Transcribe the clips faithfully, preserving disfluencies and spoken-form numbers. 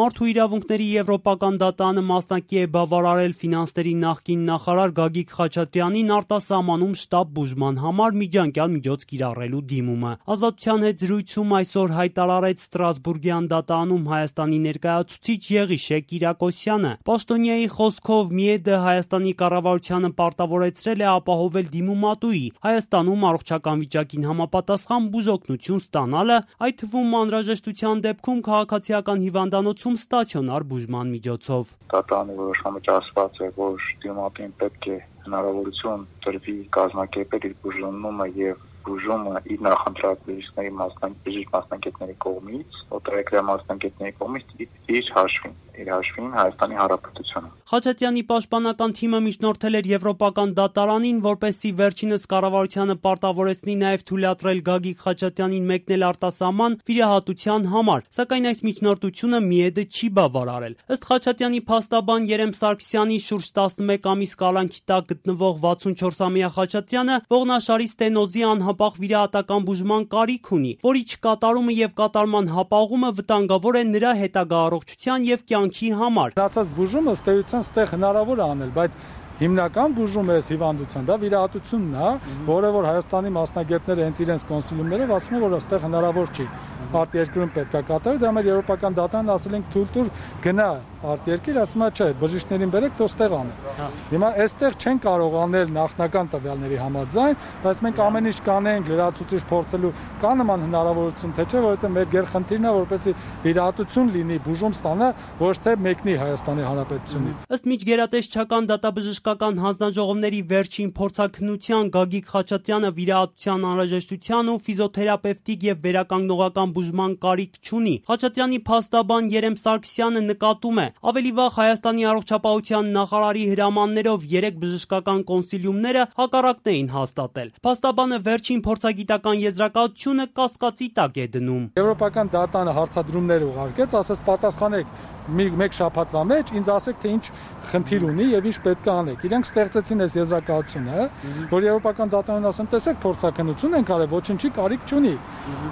Մարդու իրավունքների եվրոպական դատարանը մասնակի է բավարարել ֆինանսների նախկին նախարար Գագիկ Խաչատրյանին արտասահմանում շտապ բուժման համար միջանկյալ միջոց կիրառելու դիմումը։ Ազատության հետ զրույցում այսօր հայտարարեց Ստրասբուրգյան դատարանում Հայաստանի ներկայացուցիչ Եղիշե Կիրակոսյանը։ Պաշտոնյայի խոսքով ՄԻԵԴ-ը Հայաստանի կառավարությանը պարտավորեցրել է ապահովել դիմումատուի Հայաստանում առողջական վիճակին համապատասխան բուժօգնություն ստանալը, այդ թվում անհրաժեշտության դեպքում քաղաքացիական հիվանդանոցում ստացիոնար բուժման միջոցով։ Դատարանի որոշմամբ ասված է, որ դիմումատուին պետք է հնարավորություն տրվի կազմակերպել իր բուժումը եւ բուժումը իր նախընտրած բժիշկների մասնակից մասնակիցների կողմից, օտարերկրյա մասնակիցների կողմից իր հաշվին, իր հաշվին Հայաստանի Հանրապետությունը։ Խաչատրյանի պաշտպանական թիմը միջնորդել էր Եվրոպական դատարանին, որպեսզի վերջինս կառավարությանը պարտավորեցնի նաև թույլատրել Գագիկ Խաչատրյանին մեկնել արտասահման վիրահատության համար, սակայն այս միջնորդությունը ՄԻԵԴ-ը չի բավարարել։ Ըստ Խաչատրյանի փաստաբան Երեմ Սարգսյանի շուրջ տասնմեկ ամիս կալանքի տակ գտնվող վաթսունչորսամյա Խաչատրյանը ողնաշարի ստենոզի անհապաղ վիրահատական բուժման կարիք ունի, որի չկատարումը եւ կատարման հապաղումը վտանգավոր է նրա հետագա առողջության եւ կյանքի համար։ Մնացած բուժումը ըստ էության ստեղ հնարավոր է անել, բայց հիմնական բուժումը այս հիվանդության դա վիրահատությունն է, որը որ Հայաստանի մասնագետները հենց իրենց կոնսիլիումներով ասում են, որ այստեղ հնարավոր չի։ Արտերկրում պետք է կատարել, դա մեր եվրոպական դատարանն ասել ենք թույլ տուր գնա արտերկիր, ասում է չէ, բժիշկներին բերեք, թող ստեղ անեն։ Հիմա այստեղ չեն կարող անել նախնական տվյալների համաձայն, բայց մենք ամեն ինչ կանենք լրացուցիչ փորձելու, կա նման հնարավորություն, թե չէ, որովհետեւ մեր գերխնդիրն է, որպեսզի վիրահատություն լինի, բուժում ստանա, ոչ թե մեկնի Հայաստանի Հանրապետությունի։ Ըստ միջգերատեսչական դատաբժշկական հանձնաժողովների վերջին փորձաքննության Գագիկ Խաչատրյանը վիրահատության անհրաժեշտության ու ֆիզիոթերապևտիկ եւ վերականգնողական բուժման կարիք չունի։ Խաչատրյանի փաստաբան Երեմ Սարգսյանը նկատում է, ավելի վաղ Հայաստանի առողջապահության նախարարի հրամաններով երեք բժշկական կոնսիլիումները հակառակն էին հաստատել։ Փաստաբանը վերջին փորձագիտական եզրակացությունը կասկածի տակ է դնում։ Եվրոպական դատարանը հարցադրումներ ուղարկեց, ասաց պատասխանեք մեկ շաբաթվա մեջ ինձ ասեք թե ինչ խնդիր ունի եւ ինչ պետք է անեք։ Իրենք ստեղծեցին այս եզրակացությունը, որ Եվրոպական դատարանն ասում, տեսեք փորձաքննություն են կարել, ոչինչի կարիք չունի։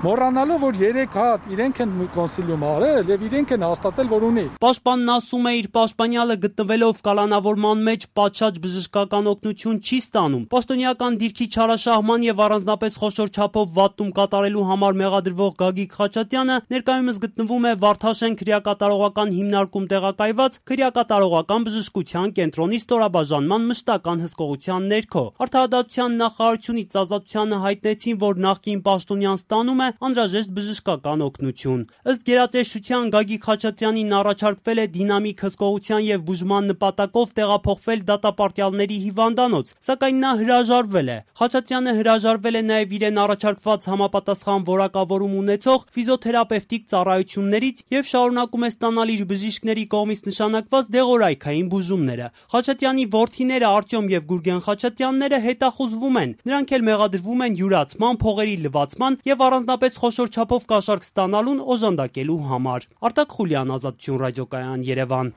Մոռանալով որ երեք հատ իրենք են կոնսիլիում արել եւ իրենք են հաստատել, որ ունի։ Պաշտպանն ասում է, իր պաշտպանյալը գտնվելով կալանավորման մեջ պատշաճ բժշկական օգնություն չի ստանում։ Պաշտոնյական դիրքի չարաշահման եւ առանձնապես խոշոր չափով վատում կատարելու համար մեղադրվող Գագիկ Խաչատրյանը ներկայումս գտնվում է Վարդաշեն քրեակատարողական հիմնարկում տեղակայված քրեակատարողական բժշկության կենտրոնի ստորաբաժանման մշտական հսկողության ներքո։ Արդարադատության նախարարությունից Ազատությանը հայտնեցին, որ նախկին պաշտոնյան ստանում է անհրաժեշտ բժշկական օգնություն։ Ըստ գերատեսչության Գագիկ Խաչատրյանին առաջարկվել է դինամիկ հսկողության եւ բուժման նպատակով տեղափոխվել դատապարտյալների հիվանդանոց, սակայն նա հրաժարվել է։ Խաչատրյանը հրաժարվել է նաեւ իրեն առաջարկված համապատասխան որակավորում ունեցող ֆիզիոթերապևտիկ ծառայություններից եւ շարունակում է ստանալ իր բժիշկների կողմից նշանակված դեղորայքային բուժումները։ Խաչատրյանի որդիները Արտյոմ եւ Գուրգեն Խաչատրյանները հետախուզվում են։ Նրանք էլ մեղադրվում են յուրացման, փողերի լվացման եւ առանձնապես խոշոր չափով կաշառք ստանալուն օժանդակելու համար։ Արտակ Խուլյան, Ազատություն ռադիոկայան, Երևան։